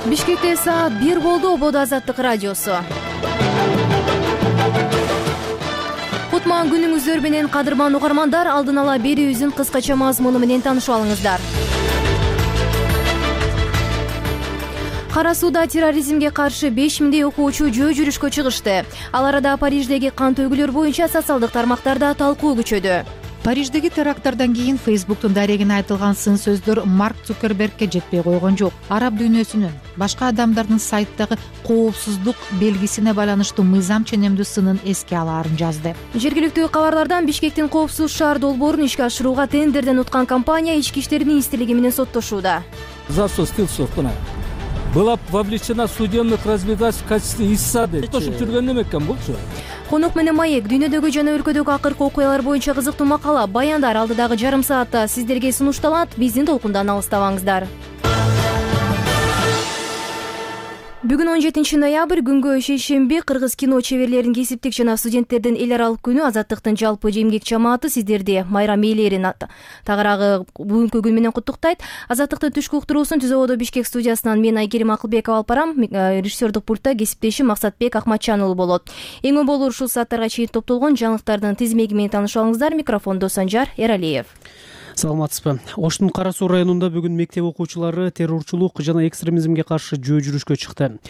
Бишкекте саат 1 болду. Ободо Азаттык радиосу. Кутман күнүңүздөр менен кадырман угармандар, алдын ала берүүбүздүн кыскача мазмуну менен таанышып алыңыздар. Кара сууда терроризмге каршы 5000 окуучу жөө жүрүшкө чыгышты. Ал арада Париждеги кан төгүлөр боюнча социалдык тармактарда талкуу күчөдү. Париждеги теракттардан кийин Фейсбуктун дарегине айтылган сын сөздөр Марк Цукербергке жетпей койгон жок. Араб дүйнөсүнүн башка адамдардын сайттагы коопсуздук белгисине байланыштуу мыйзам ченемдүү сынын эске алаарын жазды. Жергиликтүү кабарлардан Бишкектин коопсуз шаар долбоорун ишке ашырууга тендерден уткан компания Ички иштер министрлиги менен соттошууда. Была вовлечена в судебных разбирательствах в качестве истца деп тошуп жүргөн эме экен булчу. Конок менен маек дүйнөдөгү жана өлкөдөгү акыркы окуялар боюнча кызыктуу макала, баяндар алдыдагы жарым саатта сиздерге сунушталат. Биздин толкундан алыстабаңыздар. Бүгүн 17 ноябрь күнгө шейшемби кыргыз кино чеберлерин, кесиптик жана студенттердин эл аралык күнү. Азаттыктын жалпы эмгек жамааты сиздерди майрам ээлерин тагыраагы бүгүнкү күн менен куттуктайт. Азаттыктын түшкү уктуруусун Түз Ободо Бишкек студиясынан мен Айкерим Акылбекова алып барам. Режиссердик пультта кесиптешим Максатбек Ахматчан уулу болот. Эң болор ушул сааттарга чейин топтолгон жаңылыктардын тизмеги менен таанышып алыңыздар. Микрофондо Санжар Эралиев. Саламатсызбы. Оштун Кара Суу районунда бүгүн мектеп окуучулары террорчулук жана экстремизмге каршы жөө жүрүшкө чыкты.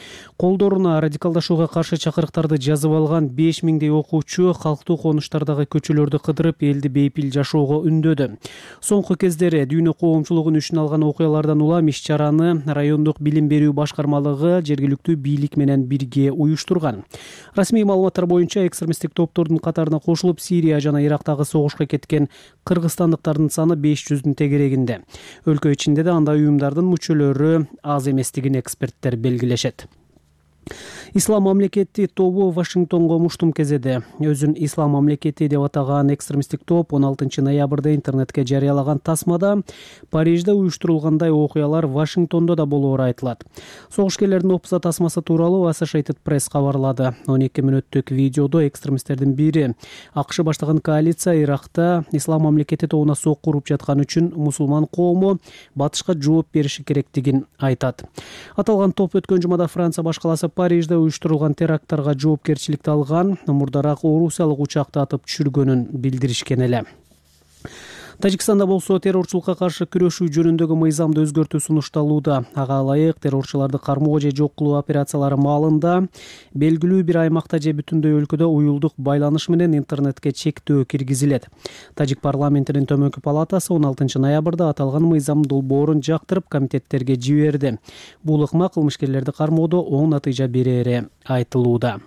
Колдоруна радикалдашууга каршы чакырыктарды жазып алган 5000 окуучу калктуу конуштардагы көчөлөрдү кыдырып, элди бейпил жашоого үндөдү. Соңку кездери дүйнө коомчулугун үчүн алган окуялардан улам иш-чараны райондук билим берүү башкармалыгы жергиликтүү бийлик менен бирге уюштурган. Расмий маалыматтар боюнча экстремисттик топтордун катарына кошулуп, Сирия жана Ирактагы согушка кеткен кыргызстандыктардын саны 500-дун тегерегинде. Өлкө ичинде да андай уюмдардын мүчөлөрү аз эместигин эксперттер белгилешет. Ислам мамлекети тобу Вашингтонго муштум кезеде. Өзүн Ислам мамлекети деп атаган экстремисттик топ 16 ноябрда интернетке жарыялаган тасмада Парижде уюштурулгандай окуялар Вашингтондо да болоору айтылат. Согушкерлердин опуса тасмасы тууралуу Associated Press кабарлады. 12 мүнөттүк видеодо экстремисттердин бири АКШ баштаган коалиция Иракта Ислам мамлекети тобуна сокку уруп жаткан үчүн мусулман коому батышка жооп бериши керектигин айтат. Аталган топ өткөн жумада Франция башкаласы Парижде уюштурулган теракттарга жоопкерчиликти алган мурдараак орусиялык учакты атып түшүргөнүн билдиришкен эле. Тажикстанда болсо террорчулукка каршы күрөшүү жөнүндөгү мыйзамды өзгөртүү сунушталууда. Ага ылайык террорчуларды кармоо же жок кылуу операциялары маалында белгилүү бир аймакта же бүтүндөй өлкөдө уюлдук байланыш менен интернетке чектөө киргизилет. Тажик парламентинин төмөнкү палатасы 16 ноябрда аталган мыйзам долбоорун жактырып комитеттерге жиберди. Бул ыкма кылмышкерлерди кармоодо оң натыйжа берери айтылууда.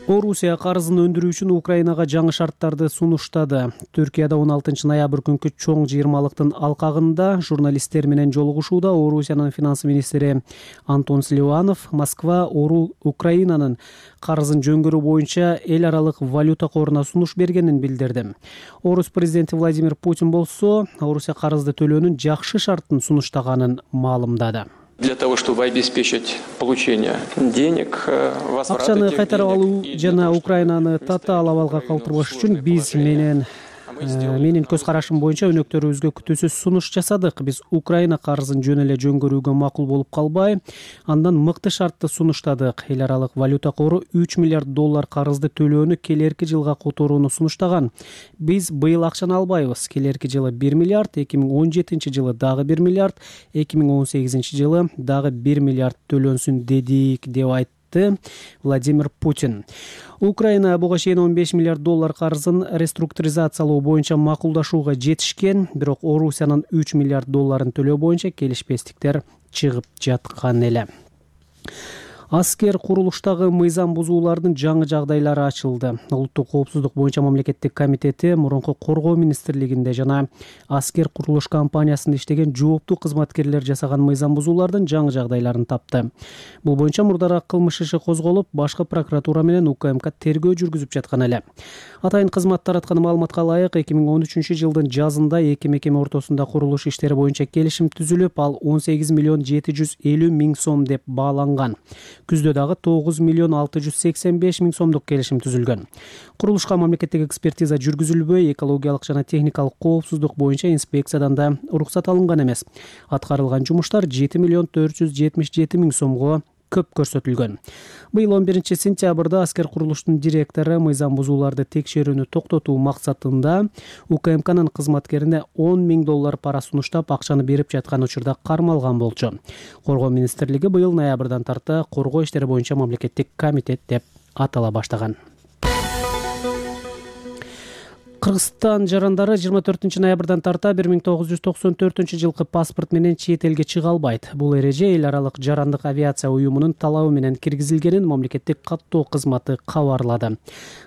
Орусия карызын өндүрүү үчүн Украинага жаңы шарттарды сунуштады. Түркияда 16 ноябрь күнкү чоң жыйырмалыктын алкагында журналисттер менен жолугушууда Орусиянын финанс министри Антон Силуанов Москва Украинанын карызын жөнгөрүү боюнча эл аралык валюта коруна сунуш бергенин билдирди. Орус президенти Владимир Путин болсо Орусия карызды төлөөнүн жакшы шарттын сунуштаганын маалымдады. Для того, чтобы обеспечить получение денег, акчаны кайтарып алуу жана Украинаны татаал абалга калтырбаш үчүн биз менин көз карашым боюнча өнөктөрүбүзгө күтүүсүз сунуш жасадык. Биз Украина карызын жөн эле жөнгөрүүгө макул болуп калбай, андан мыкты шартты сунуштадык. Эл аралык валюта кору $3 миллиард карызды төлөөнү келерки жылга которууну сунуштаган. Биз быйыл акчаны албайбыз. Келерки жылы 1 миллиард, 2017 жылы дагы 1 миллиард, 2018 жылы дагы 1 миллиард төлөнсүн дедик, деп айтты Владимир Путин. Украина буга чейин $15 миллиард карызын реструктуризациялоо боюнча макулдашууга жетишкен, бирок Орусиянын $3 миллиард төлөө боюнча келишпестиктер чыгып жаткан эле. Аскер курулуштагы мыйзам бузуулардын жаңы жагдайлары ачылды. Улуттук коопсуздук боюнча мамлекеттик комитети мурунку коргоо министрлигинде жана аскер курулуш компаниясында иштеген жооптуу кызматкерлер жасаган мыйзам бузуулардын жаңы жагдайларын тапты. Бул боюнча мурдараак кылмыш иши козголуп, башкы прокуратура менен УКМК тергөө жүргүзүп жаткан эле. Атайын кызмат тараткан маалыматка ылайык 2013 жылдын жазында эки мекеме ортосунда курулуш иштери боюнча келишим түзүлүп, ал 18 750 000 сом деп бааланган. Күздө дагы 9,685,000 сомдук келишим түзүлгөн. Курулушка мамлекеттик экспертиза жүргүзүлбөй, экологиялык жана техникалык коопсуздук боюнча инспекциядан да уруксат алынган эмес. Аткарылган жумуштар 7,477,000 сомго көп көрсөтүлгөн. Быйыл 11 сентябрда аскер курулуштун директору мыйзам бузууларды текшерүүнү токтотуу максатында УКМКнын кызматкерине $10,000 пара сунуштап, акчаны берип жаткан учурда кармалган болчу. Коргоо министрлиги быйыл ноябрдан тарта коргоо иштери боюнча мамлекеттик комитет деп атала баштаган. Кыргызстан жарандары 24 ноябрдан тарта 1994 жылкы паспорт менен чет элге чыга албайт. Бул эреже эл аралык жарандык авиация уюмунун талабы менен киргизилгенин мамлекеттик каттоо кызматы кабарлады.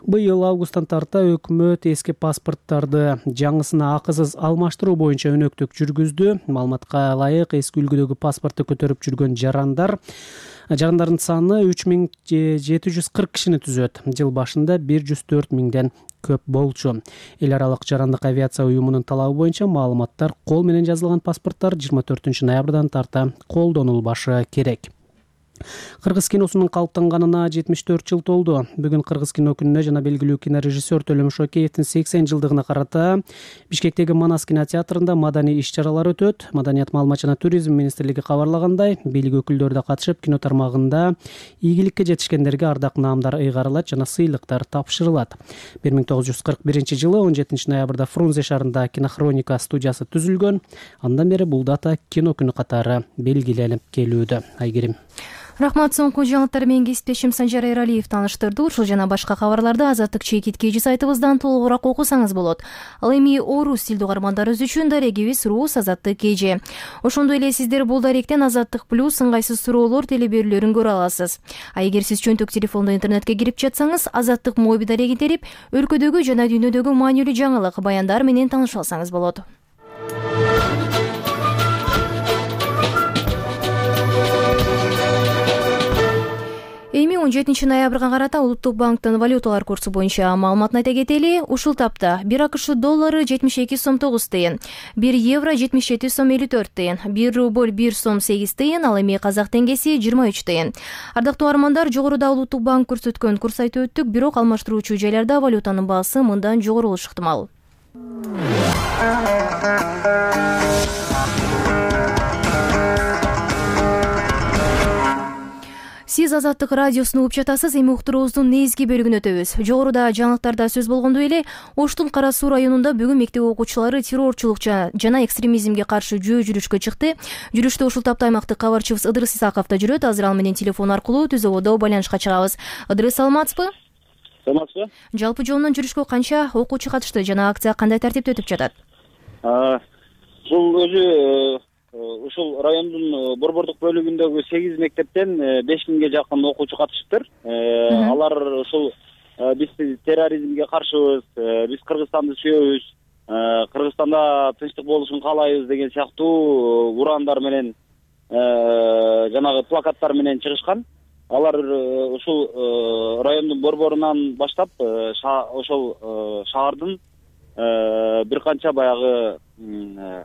Быйыл августтан тарта өкмөт эски паспорттарды жаңысына акысыз алмаштыруу боюнча өнөктүк жүргүздү. Маалыматка ылайык, эски үлгүдөгү паспортты көтөрүп жүргөн жарандардын саны 3740 кишини түзөт. Жыл башында 104,000ден көп болчу. Эл аралык жарандык авиация уюмунун талабы боюнча маалыматтар кол менен жазылган паспорттар 24 ноябрдан тарта колдонулбашы керек. Кыргыз киносунун калыптанганына 74 жыл толду. Бүгүн Кыргыз кино күнүнө жана белгилүү кинорежиссер Төлөм Шокеевдин 80 жылдыгына карата Бишкектеги Манас кинотеатрында маданий иш-чаралар өтөт. Маданият, маалымат жана туризм министрлиги кабарлагандай, бийлик өкүлдөрү да катышып, кино тармагында ийгиликке жетишкендерге ардак наамдар ыйгарылат жана сыйлыктар тапшырылат. 1941 жылы 17 ноябрда Фрунзе шаарында Кинохроника студиясы түзүлгөн. Андан бери бул дата кино күнү катары белгиленип келүүдө. Айгерим. Рахмат, соңку жаңылыктар менен кесиптешим Санжар Эралиев тааныштырды. Ушул жана башка кабарларды Азаттык чекит KG сайтыбыздан толугураак окусаңыз болот. Ал эми орус тилдүү угармандарыбыз үчүн дарегибиз Рус Азаттык KG. Ошондой эле сиздер бул даректен Азаттык плюс ыңгайсыз суроолор телеберүүлөрүн көрө аласыз. А эгер сиз чөнтөк телефондо интернетке кирип жатсаңыз, Азаттык моби дарегин терип, өлкөдөгү жана дүйнөдөгү маанилүү жаңылык, баяндар менен тааныша алсаңыз болот. Эми 17 ноябрга карата Улуттук банктын валюталар курсу боюнча маалыматын айта кетели. Ушул тапта 1 АКШ доллары 72 сом 9 тыйын, 1 евро 77 сом 54 тыйын, 1 рубль 1 сом 8 тыйын, ал эми казак теңгеси 23 тыйын. Ардактуу армандар, жогоруда Улуттук банк көрсөткөн курс айтып өттүк, бирок алмаштыруучу жайларда валютанын баасы мындан жогору болушу ыктымал. Сиз Азаттык радиосуну угуп жатасыз. Эми уктуруубуздун негизги бөлүгүнө өтөбүз. Жогоруда жаңылыктарда сөз болгондой эле, Оштун Кара Суу районунда бүгүн мектеп окуучулары террорчулук жана экстремизмге каршы жөө жүрүшкө чыкты. Жүрүштө ушул тапта аймактык кабарчыбыз Ыдырыс Исаков да жүрөт. Азыр ал менен телефон аркылуу түз ободо байланышка чыгабыз. Ыдырыс, саламатсызбы? Саламатсызбы? Жалпы жолунан жүрүшкө канча окуучу катышты жана акция кандай тартипте өтүп жатат? Бул өзү ушул райондун борбордук бөлүгүндөгү 8 мектептен 5000ге жакын окуучу катышыптыр. Алар ушул биз терроризмге каршыбыз, биз Кыргызстанды сүйөбүз, Кыргызстанда тынчтык болушун каалайбыз деген сыяктуу ураандар менен жанагы плакаттар менен чыгышкан. Алар ушул райондун борборунан баштап ошол шаардын бир канча баягы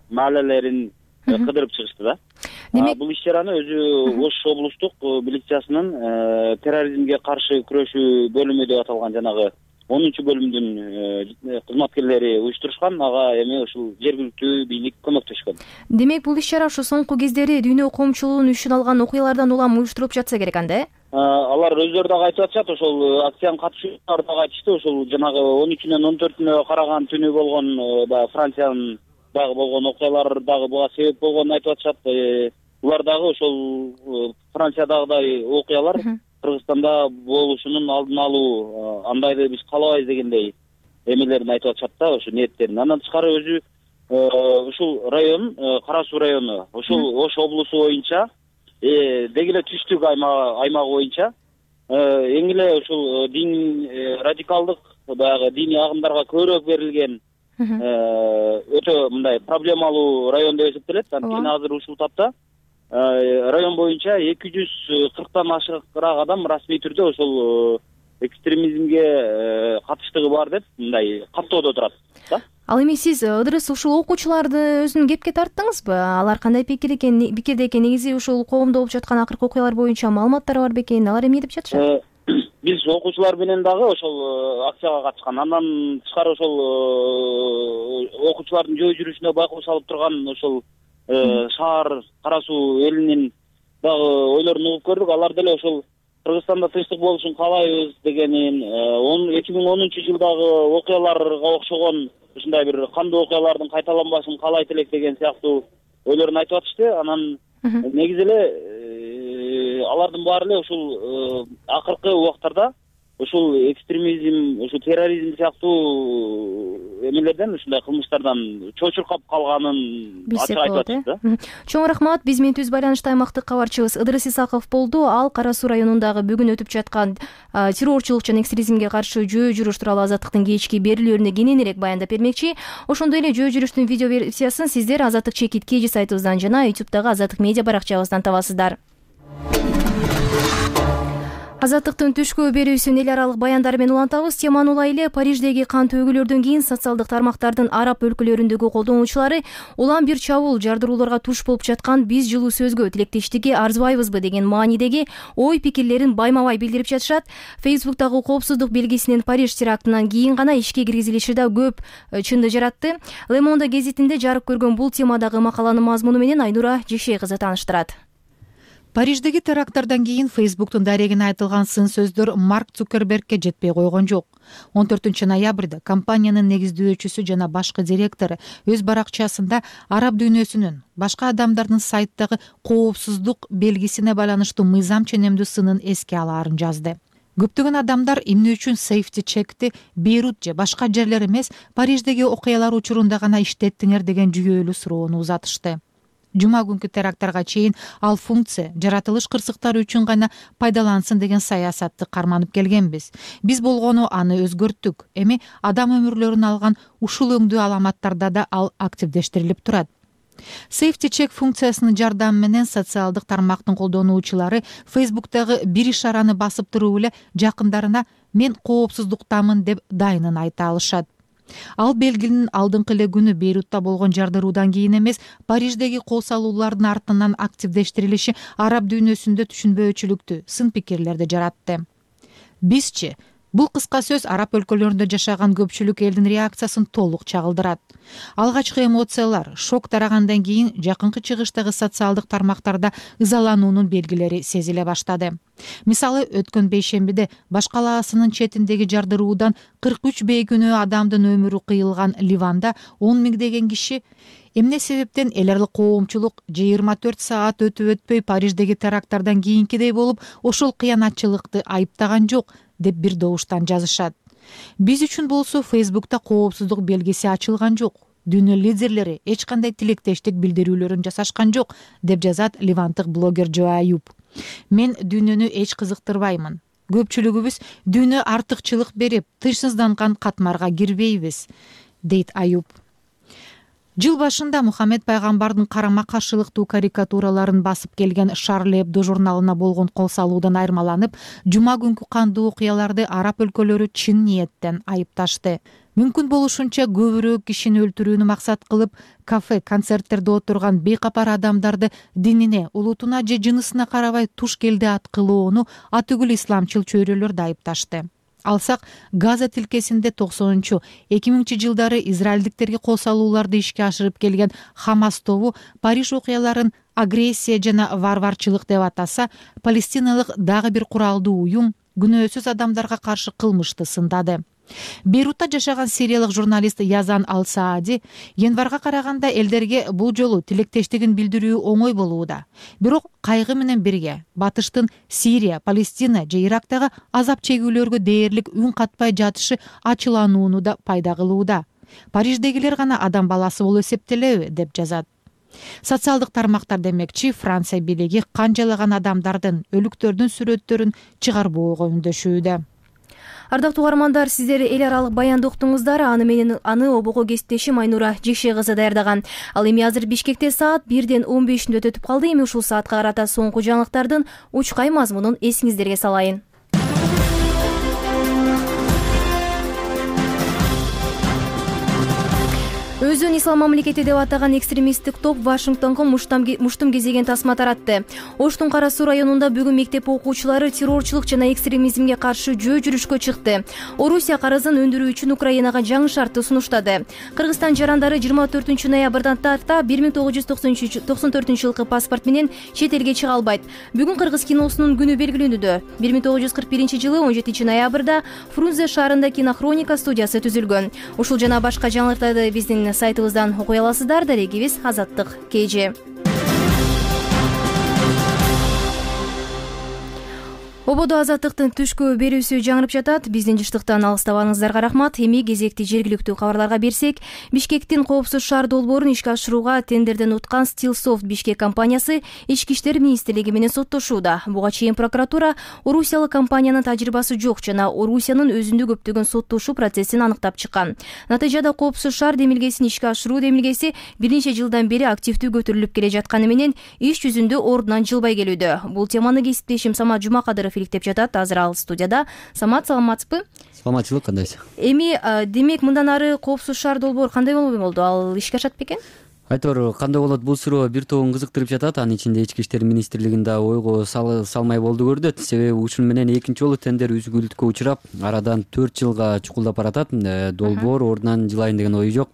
маалелерин кыдырып чыгышты да. Бул иш-чараны өзү Ош облустук милициясынын терроризмге каршы күрөшүү бөлүмү деп аталган жанагы 10-бөлүмдүн кызматкерлери уюштурушкан. Ага эми ушул жергиликтүү бийлик көмөктөшкөн. Демек, бул иш-чара ушу соңку кездери дүйнө коомчулугунун үчүн алган окуялардан улам уюштурулуп жатса керек анда, э? Алар өздөрү дагы айтып атышат, ошол акциянын катышуучулары дагы айтышты, ошол жанагы 13-нөн 14-нө караган түнү болгон баягы Франциянын дагы болгон окуялар дагы буга себеп болгонун айтып атышат. Булар дагы ошол Франциядагыдай окуялар Кыргызстанда болушунун алдын алуу, андайды биз каалабайбыз дегендей эмелерин айтып атышат да, ошо ниеттерин. Андан тышкары өзү ушул район, Кара Суу району, ушул Ош облусу боюнча деги эле түштүк аймагы боюнча эң эле ушул дин радикалдык баягы диний агымдарга көбүрөөк берилген өтө мындай проблемалуу район деп эсептелет. Анткени азыр ушул тапта район боюнча 240тан ашыгыраак адам расмий түрдө ошол экстремизмге катыштыгы бар деп мындай каттоодо турат да. Ал эми сиз Ыдырыс ушул окуучуларды өзүнүн кепке тарттыңызбы? Алар кандай пикирде экен? Негизи ушул коомдо болуп жаткан акыркы окуялар боюнча маалыматтар бар бекен? Алар эмне деп жатышат? Биз окуучулар менен дагы ошол акцияга катышкан. Андан тышкары ошол окуучулардын жөө жүрүшүнө байкоо салып турган ошол шаар Кара Суу элинин дагы ойлорун угуп көрдүк. Алар деле ошол Кыргызстанда тынчтык болушун каалайбыз дегенин, 2010-жылдагы окуяларга окшогон ушундай бир кандуу окуялардын кайталанбашын каалайт элек деген сыяктуу ойлорун айтып атышты. Анан негизи эле алардын баары эле ушул акыркы убактарда ушул экстремизм, ушул терроризм сыяктуу эмелерден, ушундай кылмыштардан чочуркап калганын ачык айтып атышты. Чоң рахмат. Биз менен түз байланышта аймактык кабарчыбыз Ыдырыс Исаков болду. Ал Кара Суу районундагы бүгүн өтүп жаткан террорчулук жана экстремизмге каршы жөө жүрүш тууралуу Азаттыктын кечки берүүлөрүнө кененирээк баяндап бермекчи. Ошондой эле жөө жүрүштүн видео версиясын сиздер Азаттык чекит KG сайтыбыздан жана YouTube'дагы Азаттык медиа баракчабыздан табасыздар. Азаттыктын түшкү берүүсүн эл аралык баяндар менен улантабыз. Теманы улай эле Париждеги кан төгүүлөрдөн кийин социалдык тармактардын араб өлкөлөрүндөгү колдонуучулары улам бир чабуул жардырууларга туш болуп жаткан биз жылуу сөзгө тилектештикке арзыбайбызбы деген маанидеги ой пикирлерин байма-бай билдирип жатышат. Фейсбуктагы коопсуздук белгисинин Париж терактынан кийин гана ишке киргизилиши да көп чынды жаратты. Le Monde гезитинде жарык көргөн бул темадагы макаланын мазмуну менен Айнура Жекшей кызы тааныштырат. Париждеги теракттардан кийин Фейсбуктун дарегине айтылган сын сөздөр Марк Цукербергке жетпей койгон жок. 14-ноябрда компаниянын негиздөөчүсү жана башкы директору өз баракчасында араб дүйнөсүнүн башка адамдардын сайттагы коопсуздук белгисине байланыштуу мыйзам ченемдүү сынын эске алаарын жазды. Көптөгөн адамдар эмне үчүн Safety Check'ти Бейрут же башка жерлер эмес, Париждеги окуялар учурунда гана иштеттиңер деген жүйөлүү суроону узатышты. Жума күнкү теракттарга чейин ал функция жаратылыш кырсыктары үчүн гана пайдалансын деген саясатты карманып келгенбиз. Биз болгону аны өзгөрттүк. Эми адам өмүрлөрүн алган ушул өңдүү аламаттарда да ал активдештирилип турат. Safety Check функциясынын жардамы менен социалдык тармактын колдонуучулары Фейсбуктагы бир ишараны басып туруп эле жакындарына мен коопсуздуктамын деп дайынын айта алышат. Ал белгинин алдыңкы эле күнү Бейрутта болгон жардыруудан кийин эмес, Париждеги кол салуулардын артынан активдештирилиши араб дүйнөсүндө түшүнбөөчүлүктү, сын пикирлерди жаратты. Бизчи бул кыска сөз араб өлкөлөрүндө жашаган көпчүлүк элдин реакциясын толук чагылдырат. Алгачкы эмоциялар, шок тарагандан кийин жакынкы чыгыштагы социалдык тармактарда ызалануунун белгилери сезиле баштады. Мисалы, өткөн бейшембиде Баш калаасынын четиндеги жардыруудан 43 бейкүнөө адамдын өмүрү кыйылган Ливанда 10 миңдеген киши эмне себептен эл аралык коомчулук 24 саат өтүп-өтпөй Париждеги теракттардан кийинкидей болуп ошол кыянатчылыкты айыптаган жок деп бир добуштан жазышат. Биз үчүн болсо Фейсбукта коопсуздук белгиси ачылган жок. Дүйнө лидерлери эч кандай тилектештик билдирүүлөрүн жасашкан жок, деп жазат ливандык блогер Жо Аюп. Мен дүйнөнү эч кызыктырбаймын. Көпчүлүгүбүз дүйнө артыкчылык берип, тынчсызданган катмарга кирбейбиз, дейт Аюп. Жыл башында Мухаммед пайгамбардын карама каршылыктуу карикатураларын басып келген Шарли Эбдо журналына болгон кол салуудан айырмаланып, жума күнкү кандуу окуяларды араб өлкөлөрү чын ниеттен айыпташты. Мүмкүн болушунча көбүрөөк кишини өлтүрүүнү максат кылып, кафе, концерттерде отурган бейкапар адамдарды динине, улутуна же жынысына карабай туш келди ат кылууну атүгүл исламчыл чөйрөлөр айыпташты. Алсак, Газа тилкесинде 90-2000 жылдары израилдиктерге кол салууларды ишке ашырып келген Хамас тобу Париж окуяларын агрессия жана варварчылык деп атаса, палестиналык дагы бир куралдуу уюм күнөөсүз адамдарга каршы кылмышты сындады. Бейрутта жашаган сириялык журналист Язан Ал-Саади январга караганда элдерге бул жолу тилектештигин билдирүү оңой болууда. Бирок кайгы менен бирге батыштын Сирия, Палестина же Ирактагы азап чегүүлөргө дээрлик үн катпай жатышы ачыланууну да пайда кылууда. Париждегилер гана адам баласы болуп эсептелеби, деп жазат. Социалдык тармактар демекчи Франция бийлиги канчалаган адамдардын, өлүктөрдүн сүрөттөрүн чыгарбоого үндөшүүдө. Ардактуу угармандар, сиздер эл аралык баянды уктуңуздар. Аны обого кесиптешим Айнура Жекшей кызы даярдаган. Ал эми азыр Бишкекте саат 1:15 өтүп калды. Эми ушул саатка карата соңку жаңылыктардын учкай мазмунун эсиңиздерге салайын. Өзүн ислам мамлекети деп атаган экстремисттик топ Вашингтонго муштум кезеген тасма таратты. Оштун Кара Суу районунда бүгүн мектеп окуучулары террорчулук жана экстремизмге каршы жөө жүрүшкө чыкты. Орусия карызын өндүрүү үчүн Украинага жаңы шартты сунуштады. Кыргызстан жарандары 24 ноябрдан тарта 1994 жылкы паспорт менен чет элге чыга албайт. Бүгүн кыргыз киносунун күнү белгилөнүүдө. 1941 жылы 17 ноябрда Фрунзе шаарында кинохроника студиясы түзүлгөн. Ушул жана башка жаңылыктарды биздин сайтыбыздан окуй аласыздар. Дарегибиз Азаттык KG. Ободо Азаттыктын түшкү берүүсү жаңырып жатат. Биздин жыштыктан алыстабаңыздарга рахмат. Эми кезекти жергиликтүү кабарларга берсек, Бишкектин коопсуз шаар долбоорун ишке ашырууга тендерден уткан Stillsoft Бишкек компаниясы Ички иштер министрлиги менен соттошууда. Буга чейин прокуратура орусиялык компаниянын тажрыйбасы жок жана Орусиянын өзүндө көптөгөн соттошуу процессин аныктап чыккан. Натыйжада коопсуз шаар демилгесин ишке ашыруу демилгеси бир нече жылдан бери активдүү көтөрүлүп келе жатканы менен иш жүзүндө ордунан жылбай келүүдө. Бул теманы кесиптешим Самат Жумакадыров иликтеп жатат. Азыр ал студияда. Самат, саламатсызбы? Саламатчылык, кандайсыз? Эми демек мындан ары коопсуз шаар долбоор кандай болду? Ал ишке ашат бекен? Айтор, кандай болот? Бул суроо бир тобун кызыктырып жатат. Анын ичинде Ички иштер министрлигинде ойго салмай болду көрдүт. Себеби ушун менен экинчи жолу тендер үзгүлтүккө учурап, арадан 4 жылга чукулдап баратат. Долбоор ордунан жылайын деген ою жок.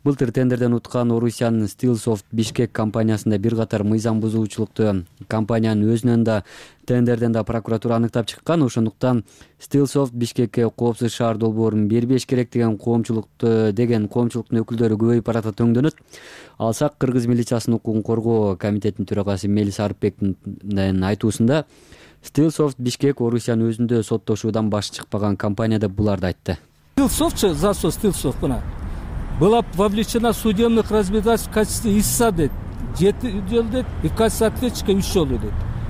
Былтыр тендерден уткан Орусиянын Stillsoft Бишкек компаниясында бир катар мыйзам бузуучулукту компаниянын өзүнөн да тендерден да прокуратура аныктап чыккан. Ошондуктан Stillsoft Бишкекке коопсуз шаар долбоорун бербеш керек деген коомчулуктун өкүлдөрү көбөйүп баратат өңдөнөт. Алсак, Кыргыз милициясынын укугун коргоо комитетинин төрагасы Мелис Арыпбектин айтуусунда Stillsoft Бишкек Орусиянын өзүндө соттошуудан баш чыкпаган компания деп буларды айтты. Stillsoft, за что Stillsoft была вовлечена в судебно-разбирательство в качестве истца дейт. 7 жыл дейт, и в качестве ответчика 3 жыл дейт.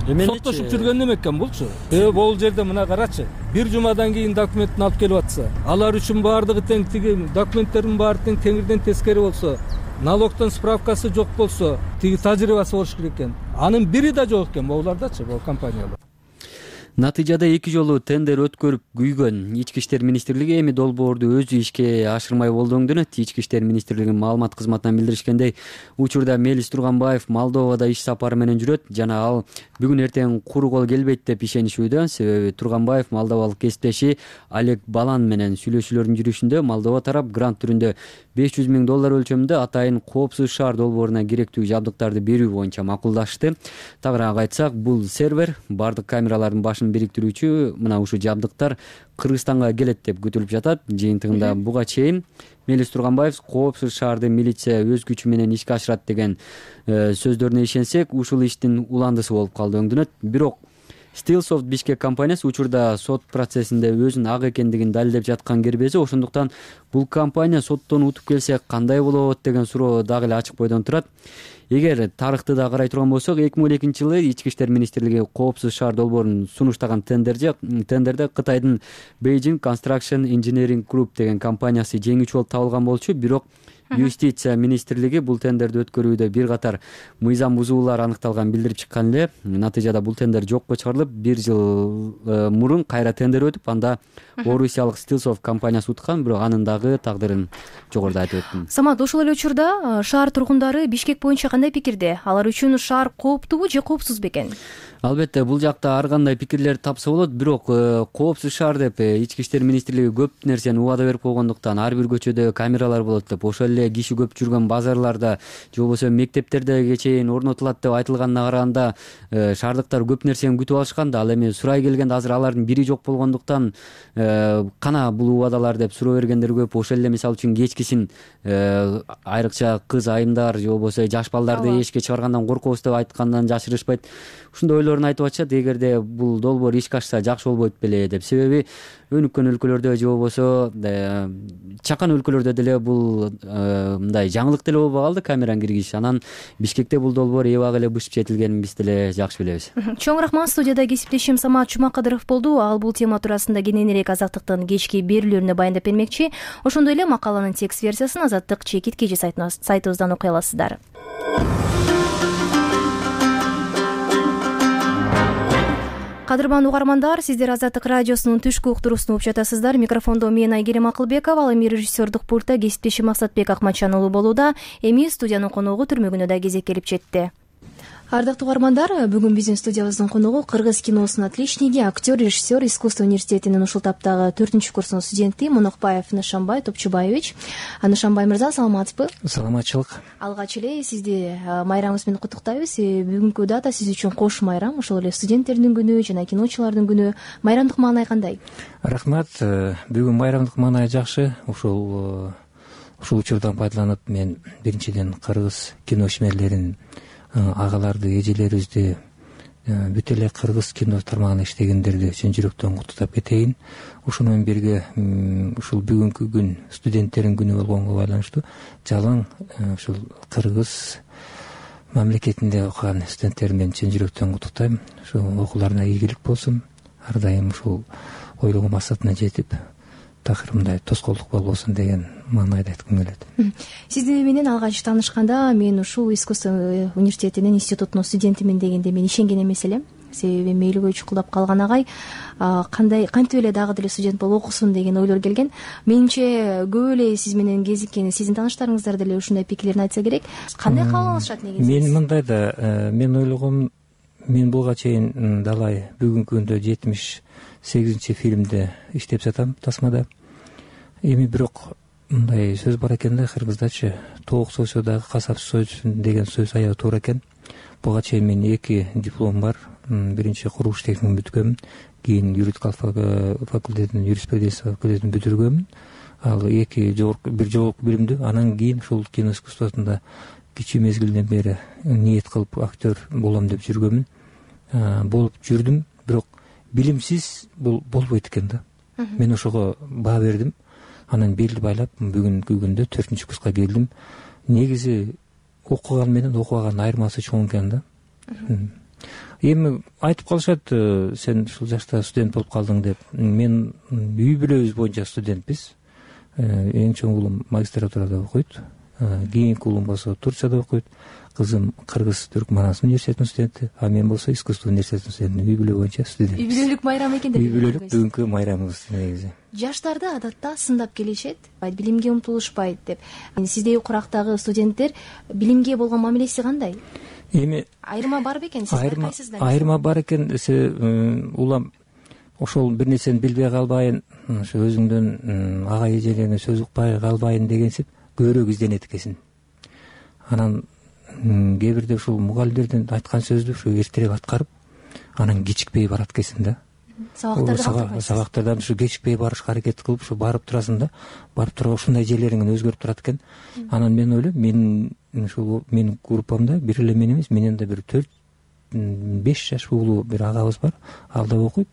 Соттошуп жүргөн неме экен булчу? Бул жерде мына карачы. Бир жумадан кийин документин алып келип атса, алар үчүн баардыгы тең, тиги документтердин баары тең, теңирден тескери болсо, налогтон справкасы жок болсо, тиги тажрыйбасы болуш керек экен. Анын бири да жок экен булардачы, бул компаниялар. Натыйжада 2 жолу тендер өткөрүп күйгөн Ички иштер министрлиги эми долбоорду өзү ишке ашырмай болду өңдөнөт. Ички иштер министрлигинин маалымат кызматынан билдиришкендей, учурда Мелис Турганбаев Молдовада иш сапары менен жүрөт жана ал бүгүн эртең куру кол келбейт деп ишенишүүдө. Себеби Турганбаев молдовалык кесиптеши Олег Балан менен сүйлөшүүлөрдүн жүрүшүндө Молдова тарап грант түрүндө $500 000 өлчөмүндө атайын коопсуз шаар долбооруна керектүү жабдыктарды берүү боюнча макулдашты. Тагыраак айтсак, бул сервер, бардык камералардын башын бириктирүүчү мына ушул жабдыктар Кыргызстанга келет деп күтүлүп жатат. Жыйынтыгында буга чейин Мелис Турганбаев коопсуз шаарды милиция өз күчү менен ишке ашырат деген сөздөрүнө ишенсек, ушул иштин уландысы болуп калды өңдөнөт. Бирок Stillsoft Бишкек компаниясы учурда сот процессинде өзүнүн ак экендигин далилдеп жаткан кербези. Ошондуктан бул компания соттон утуп келсе кандай болот деген суроо дагы эле ачык бойдон турат. Эгер тарыхты да карай турган болсок, 2012 жылы Ички иштер министрлиги коопсуз шаар долбоорун сунуштаган тендерде Кытайдын Beijing Construction Engineering Group деген компаниясы жеңүүчү болуп табылган болчу. Бирок Юстиция министрлиги бул тендерди өткөрүүдө бир катар мыйзам бузуулар аныкталган билдирип чыккан эле. Натыйжада бул тендер жокко чыгарылып, 1 жыл мурун кайра тендер өтүп, анда Орусиялык Stillsoft компаниясы уткан, бирок анын дагы тагдырын жогоруда айтып өттүм. Самат, ошол эле учурда шаар тургундары Бишкек боюнча кандай пикирде? Алар үчүн шаар кооптубу же коопсуз бекен? Албетте, бул жакта ар кандай пикирлер тапса болот, бирок коопсуз шаар деп Ички иштер министрлиги көп нерсени убада берип койгондуктан, ар бир көчөдө камералар болот деп, ошол эле киши көп жүргөн базарларда же болбосо мектептерде чейин орнотулат деп айтылганына караганда, шаардыктар көп нерсени күтүп алышкан да. Ал эми сурай келгенде азыр алардын бири жок болгондуктан, кана бул убадалар деп суроо бергендер көп. Ошол эле мисалы үчүн кечкисин айрыкча кыз айымдар же болбосо жаш балдарды эшикке чыгаргандан коркобуз деп айткандан жашырышпайт. Ушундай ойлорун айтып атышат. Эгерде бул долбоор ишке ашса жакшы болбойт беле деп. Себеби өнүккөн өлкөлөрдө же болбосо чакан өлкөлөрдө деле бул мындай жаңылык деле болбой калды камераны киргизиш. Анан Бишкекте бул долбоор эбак эле бышып жетилгенин биз деле жакшы билебиз. Чоң рахмат. Студияда кесиптешим Самат Жумакадыров болду. Ал бул тема туурасында кененирээк Азаттыктын кечки берүүлөрүнө баяндап бермекчи. Ошондой эле макаланын текст версиясын Азаттык чекит KG сайтыбыздан окуй аласыздар. Кадырман угармандар, сиздер Азаттык радиосунун түшкү уктуруусун угуп жатасыздар. Микрофондо мен Айгерим Акылбекова, ал эми режиссердук пультта кесиптешим Максатбек Акматжан уулу болууда. Эми студиянын коногу түрмөгүнө да кезек келип жетти. Ардактуу угармандар, бүгүн биздин студиябыздын коногу кыргыз киносунун отличниги, актер, режиссер, искусство университетинин ушул таптагы 4-курсунун студенти Монокбаев Нышанбай Топчубаевич. Нышанбай мырза, саламатсызбы? Саламатчылык. Алгач эле сизди майрамыңыз менен куттуктайбыз. Бүгүнкү дата сиз үчүн кош майрам, ошол эле студенттердин күнү жана киночулардын күнү. Майрамдык маанай кандай? Рахмат. Бүгүн майрамдык маанай жакшы. Ушул учурдан пайдаланып мен биринчиден кыргыз кино ишмерлерин, агаларды, эжелерибизди, бүт эле кыргыз кино тармагында иштегендерди чын жүрөктөн куттуктап кетейин. Ушуну менен бирге ушул бүгүнкү күн студенттердин күнү болгонго байланыштуу жалаң ушул кыргыз мамлекетинде окуган студенттерди мен чын жүрөктөн куттуктайм. Ушул окууларына ийгилик болсун, ар дайым ушул ойлогон максатына жетип, такыр мындай тоскоолдук болбосун деген маанайда айткым келет. Сиз менен алгач таанышканда мен ушул искусство университетинин институтунун студентимин дегенде мен ишенген эмес элем. Себеби мейлигөй чукулдап калган агай кантип эле дагы деле студент болуп окусун деген ойлор келген. Менимче көп эле сиз менен кезиккен сиздин тааныштарыңыздар деле ушундай пикирлерин айтса керек. Кандай кабыл алышат негизи? Мен мындай да, мен ойлогом, мен буга чейин далай бүгүнкү күндө 78 фильмде иштеп жатам тасмада. Эми бирок мындай сөз бар экен да, кыргыздачы тоок сойсо дагы касап сойсун деген сөз аябай туура экен. Буга чейин мен 2 диплом бар. Биринчи курулуш техникумун бүткөмүн, кийин юридикалык факультетинин юриспруденция факультетин бүтүргөмүн. Ал бир жогорку билимдүү. Анан кийин ушул кино искусствосунда кичүү мезгилден бери ниет кылып актер болом деп жүргөмүн. Болуп жүрдүм, бирок билимсиз бул болбойт экен да. Мен ошого баа бердим. Анан белди байлап бүгүнкү күндө 4-курска келдим. Негизи окуган менен окубаган айырмасы чоң экен да. Эми айтып калышат, сен ушул жашта студент болуп калдың деп. Мен үй бүлөбүз боюнча студентпиз. Эң чоң уулум магистратурада окуйт. Кийинки уулум болсо Турцияда окуйт. Кызым Кыргыз Түркманстан университетинин студенти, а мен болсо искусство университетинин студенти. Үй бүлө боюнча студент. Үй бүлөлүк майрам экен деп. Үй бүлөлүк бүгүнкү майрамыбыз негизи. Жаштарды адатта сындап келишет, билимге умтулушпайт деп. Сиздей курактагы студенттер билимге болгон мамилеси кандай? Эми айырма бар бекен? Айырма бар экен. Улам ошол бир нерсени билбей калбайын, ошо өзүңдөн ага эжелерине сөз укпай калбайын дегенсип көбүрөөк изденет экенсиң. Анан кээ бирде ушул мугалимдердин айткан сөздү ушу эртерээк аткарып, анан кечикпей барат экенсиң да. Сабактардан ушу кечикпей барышка аракет кылып, ушу барып турасың да. Барып турган ушундай жерлериң өзгөрүп турат экен. Анан мен ойлойм, менин группамда бир эле мен эмес, менен да бир 4-5 жаш уулуу бир агабыз бар. Ал да окуйт.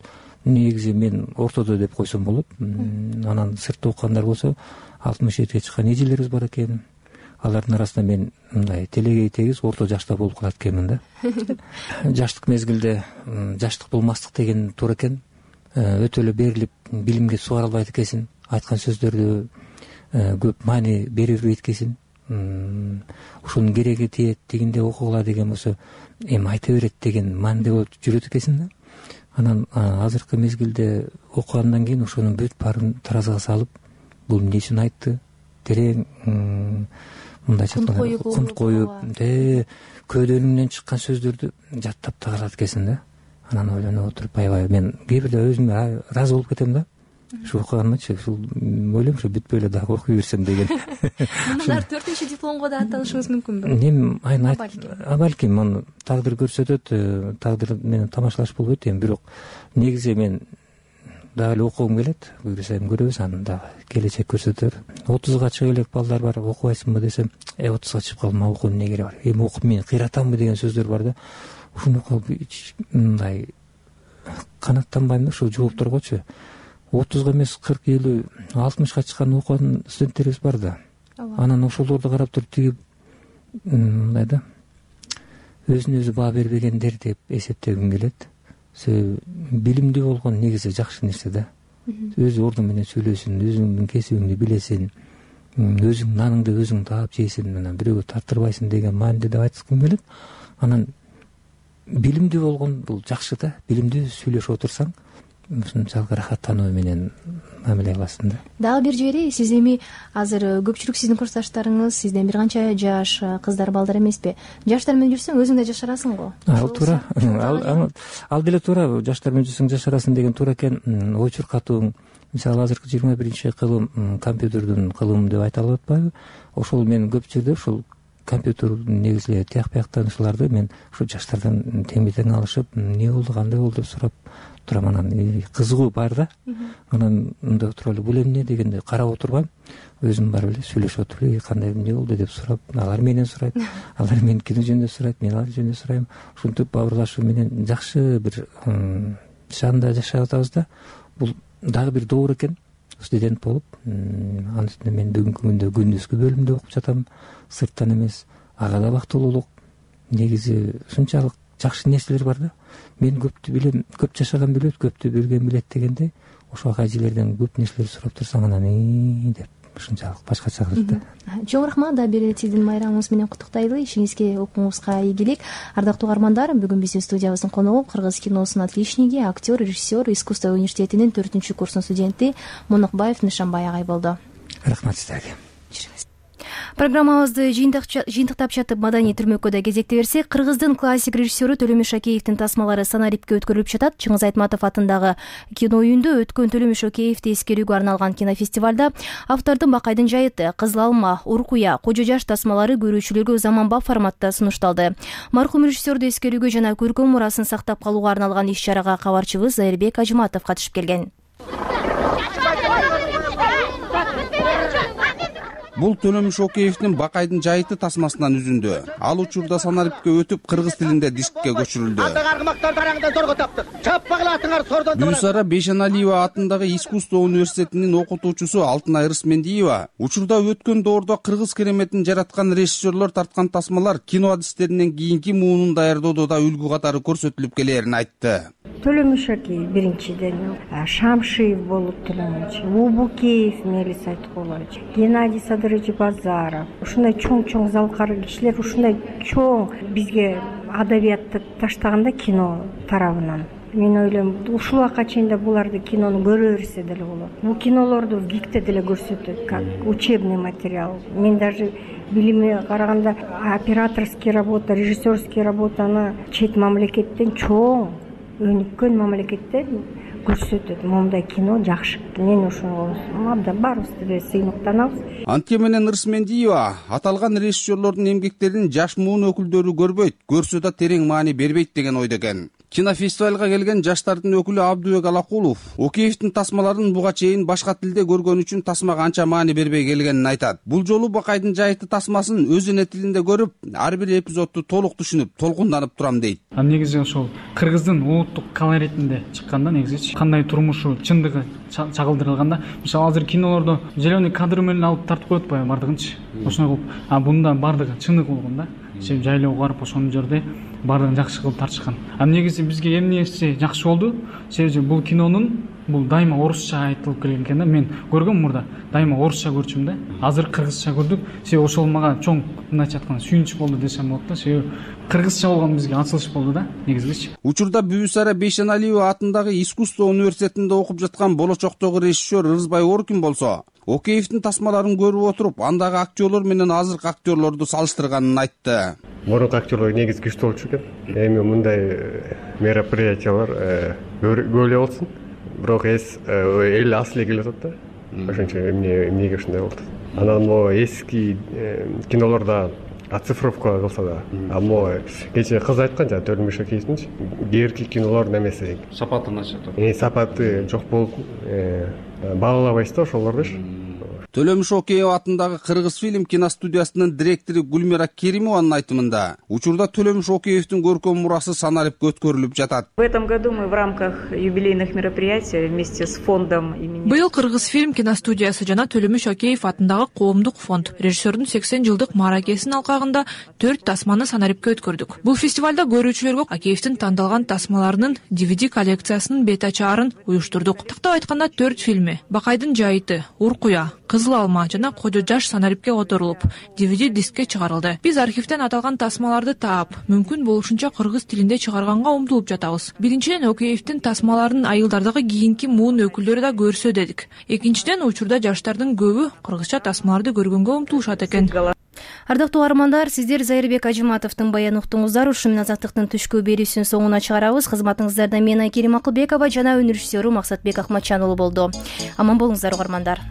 Негизи мен ортодо деп койсом болот. Анан сыртта окугандар болсо 67-ге чыккан эжелерибиз бар экен. Алардын арасында мен мындай телегей тегиз орто жашта болуп калат экенмин да. Жаштык мезгилде жаштык болмастык деген туура экен. Өтө эле берилип билимге сугара албайт экенсиң. Айткан сөздөрдү көп маани бербейт экенсиң. Ушунун кереги тиет, тигинде окугула деген болсо эми айта берет деген мааниде болуп жүрөт экенсиң да. Анан азыркы мезгилде окугандан кийин ошонун бүт баарын таразыга салып, бул эмне үчүн айтты, терең мындайча айтканда кунт коюп, көөдөнүмдөн чыккан сөздөрдү жаттап да калат экенсиң да. Анан ойлонуп отуруп, аябай мен кээ бирде өзүмө ыраазы болуп кетем да. Ушу окуганымчы, ушул ойлойм, ушу бүтпөй эле дагы окуй берсем деген. Мындан 4-дипломго да аттанышыңыз мүмкүнбү? Эми балким аны тагдыр көрсөтөт, тагдыр менен тамашалаш болбойт эми, бирок негизи мен дагы эле окугум келет. Буюрса эми көрөбүз, анан дагы келечек көрсөтөр. 30га чыга элек балдар бар, окубайсыңбы десем, 30га чыгып калдым, окуунун эмне кереги бар? Эми окуп мен кыйратамбы деген сөздөр бар да. Ушуну мындай канаттанбайм да, ушул жоопторгочу. 30га эмес 40, 50, 60га чыккан окуган студенттерибиз бар да. Анан ошолорду карап туруп тиги мындай да, өзүнө өзү баа бербегендер деп эсептегим келет. Билимдүү болгон негизи жакшы нерсе да. Өз ордуң менен сүйлөсүң, өзүңдүн кесибиңди билесиң, өзүң наныңды өзүң таап жейсиң, анан бирөөгө тартырбайсың деген мааниде деп айткым келет. Анан билимдүү болгон бул жакшы да, билимдүү сүйлөшүп отурсаң ушунчалык ырахаттануу менен мамиле кыласың да. Дагы бир жери, сиз эми азыр көпчүлүк сиздин курсташтарыңыз сизден бир канча жаш кыздар, балдар эмеспи? Жаштар менен жүрсөң өзүң да жашарасың го. Ал туура. Ал деле туура. Жаштар менен жүрсөң жашарасың деген туура экен. Ой чуркатууң, мисалы азыркы 21-кылым компьютердин кылымы деп айта алып атпайбы? Ошол мен көп жерде ушул компьютер негизи тияк бияктанышууларды мен ушу жаштардан тең алышып, эмне болду, кандай болду деп сурап турам. Анан кызыгуу бар да. Анан мындай отуруп бул эмне дегенде карап отурбайм, өзүм барып эле сүйлөшүп отуруп эле кандай эмне болду деп сурап, алар менен сурайт, алар менин кино жөнүндө сурайт, мен алар жөнүндө сурайм. Ушинтип бауырлашуу менен жакшы бир шанда жашап атабыз да. Бул дагы бир доор экен. Студент болуп, анын үстүнө мен бүгүнкү күндө күндүзгү бөлүмдө окуп жатам, сырттан эмес. Ага да бактылуулук. Негизи ушунчалык жакшы нерселер бар да. Мен көптү билем, көп жашаган билет, көптү билген билет дегенде, ошо ага эжелерден көп нерселер сурап турсаң, анан деп ушунчалык башкача кылат да. Чоң рахмат. Да бир сиздин майрамыңыз менен куттуктайлы. Ишиңизге, окууңузга ийгилик. Ардактуу угармандар, бүгүн биздин студиябыздын коногу кыргыз киносунун отличниги, актер, режиссер, искусство университетинин 4-курсунун студенти Монукбаев Нышанбай агай болду. Рахмат сиздерге. Программабызды жыйынтыктап чатып маданий түрмөккө кезекте берсек, кыргыздын классик режиссеру Төлөмүш Шакеевдин тасмалары Санарипке өткөрүлүп жатат. Чыңгыз Айтматов атындагы кино үйүндө өткөн Төлөмүш Шакеевди эскерүүгө арналган кинофестивалда автордун Бакайдын жайыты, Кызыл алма, Уркуя, Кожо жаш тасмалары көрүүчүлөргө заманбап форматта сунушталды. Мархум режиссерду эскерүүгө жана көркөм мурасын сактап калууга арналган иш-чарага кабарчыбыз Зайырбек Ажыматов катышып келген. Бул Төлөмүш Шакеевдин Бакайдын жайыты тасмасынан үзүндү. Ал учурда Санарипке өтүп, кыргыз тилинде дискке көчүрүлдү. Бүйсара Бейшеналиева атындагы искусство университетинин окутуучусу Алтынай Рысмендиева учурда өткөн доордо кыргыз кереметин жараткан режиссерлор тарткан тасмалар кино адистеринен кийинки муунун даярдоодо да үлгү катары көрсөтүлүп келээрин айтты. Төлөмүш Шакеев биринчиден, Шамшиев болуп Төлөмүш, Убукеев Мелис Айткулович, Геннадий Садырович Базаров. Ушундай чоң залкар кишилер ушундай чоң бизге адабиятты таштаганда кино тарабынан. Мен ойлойм, ушул убакка чейин да буларды кинону көрө берсе деле болот. Бул кинолорду ВГИКте деле көрсөтөт, как учебный материал. Мен даже билиме караганда операторский работа, режиссерский работаны чет мамлекеттен чоң өнүккөн мамлекетте көрсөтөт. Мондай кино жакшы. Мен ошого абдан баарыбыз деле сыймыктанабыз. Антке менен Рысмендиева аталган режиссерлордун эмгектерин жаш муун өкүлдөрү көрбөйт, көрсө да терең маани бербейт деген ойдо экен. Кинофестивалга келген жаштардын өкүлү Абдубек Алакулов Океевдин тасмаларын буга чейин башка тилде көргөн үчүн тасмага анча маани бербей келгенин айтат. Бул жолу Бакайдын жайыты тасмасын өз эне тилинде көрүп, ар бир эпизодду толук түшүнүп, толкунданып турам дейт. Негизи ошол кыргыздын улуттук колоритинде чыкканда негизи кандай турмушу чындыгы чагылдырылганда, мисалы азыр кинолордо зеленый кадр менен алып тартып коет атпайбы бардыгынчы. Ошондой кылып, бунда бардыгы чындык болгон да. Жайлоого барып ошонун жерде бардыгын жакшы кылып тартышкан. Негизи бизге эмнеси жакшы болду? Себеби бул кинонун бул дайыма орусча айтылып келген экен да. Мен көргөм мурда дайыма орусча көрчүм да. Азыр кыргызча көрдүк. Себеби ошол мага чоң мындайча айтканда сүйүнүч болду десем болот да. Себеби кыргызча болгон бизге ачылыш болду да, негизичи. Учурда Бүйсара Бейшеналиева атындагы искусство университетинде окуп жаткан болочоктогу режиссер Рызбай Оркин болсо, Океевдин тасмаларын көрүп отуруп, андагы актерлор менен азыркы актерлорду салыштырганын айтты. Мурунку актерлор негизи күчтүү болчу экен. Эми мындай мероприятиялар көп эле болсун. Бирок эл асыл келип атат да. Ошончо эмнеге ушундай болду. Анан могу эски кинолордо оцифровка кылса да. Могу кечээ кыз айткан жана Төлөмүш Шакеевдинчи кээинки кинолордун эмеси сапаты начар. Сапаты жок болуп баалабайсыз да ошолордучу. Төлөмүш Шакеев атындагы Кыргыз фильм киностудиясынын директору Гүлмира Керимованын айтымында, учурда Төлөмүш Шакеевдин көркөм мурасы Санарипке өткөрүлүп жатат. В этом году мы в рамках юбилейных мероприятий вместе с фондом имени Быйыл Кыргыз фильм киностудиясы жана Төлөмүш Шакеев атындагы коомдук фонд режиссердун 80 жылдык мааракесинин алкагында 4 тасманы Санарипке өткөрдүк. Бул фестивалда көрүүчүлөргө Шакеевдин тандалган тасмаларынын DVD коллекциясынын бет ачаарын уюштурдук. Тактап айтканда 4 фильми: Бакайдын жайыты, Уркуя, Кызыл алма жана Кожо Жаш санарипке которулуп, DVD дискке чыгарылды. Биз архивден аталган тасмаларды таап, мүмкүн болушунча кыргыз тилинде чыгарганга умтулуп жатабыз. Биринчиден, Океевдин тасмаларын айылдардагы кийинки муун өкүлдөрү да көрсө дедик. Экинчиден, учурда жаштардын көбү кыргызча тасмаларды көргөнгө умтулушат экен. Ардактуу каармандар, сиздер Зайырбек Ажыматовдун баянын уктуңуздар. Ушу менен Азаттыктын түшкү берүүсүнүн соңуна чыгарабыз. Кызматыңыздарда мен Айкерим Акылбекова жана өнөр режиссеру Максатбек Акматжан уулу болду. Аман болуңуздар, каармандар.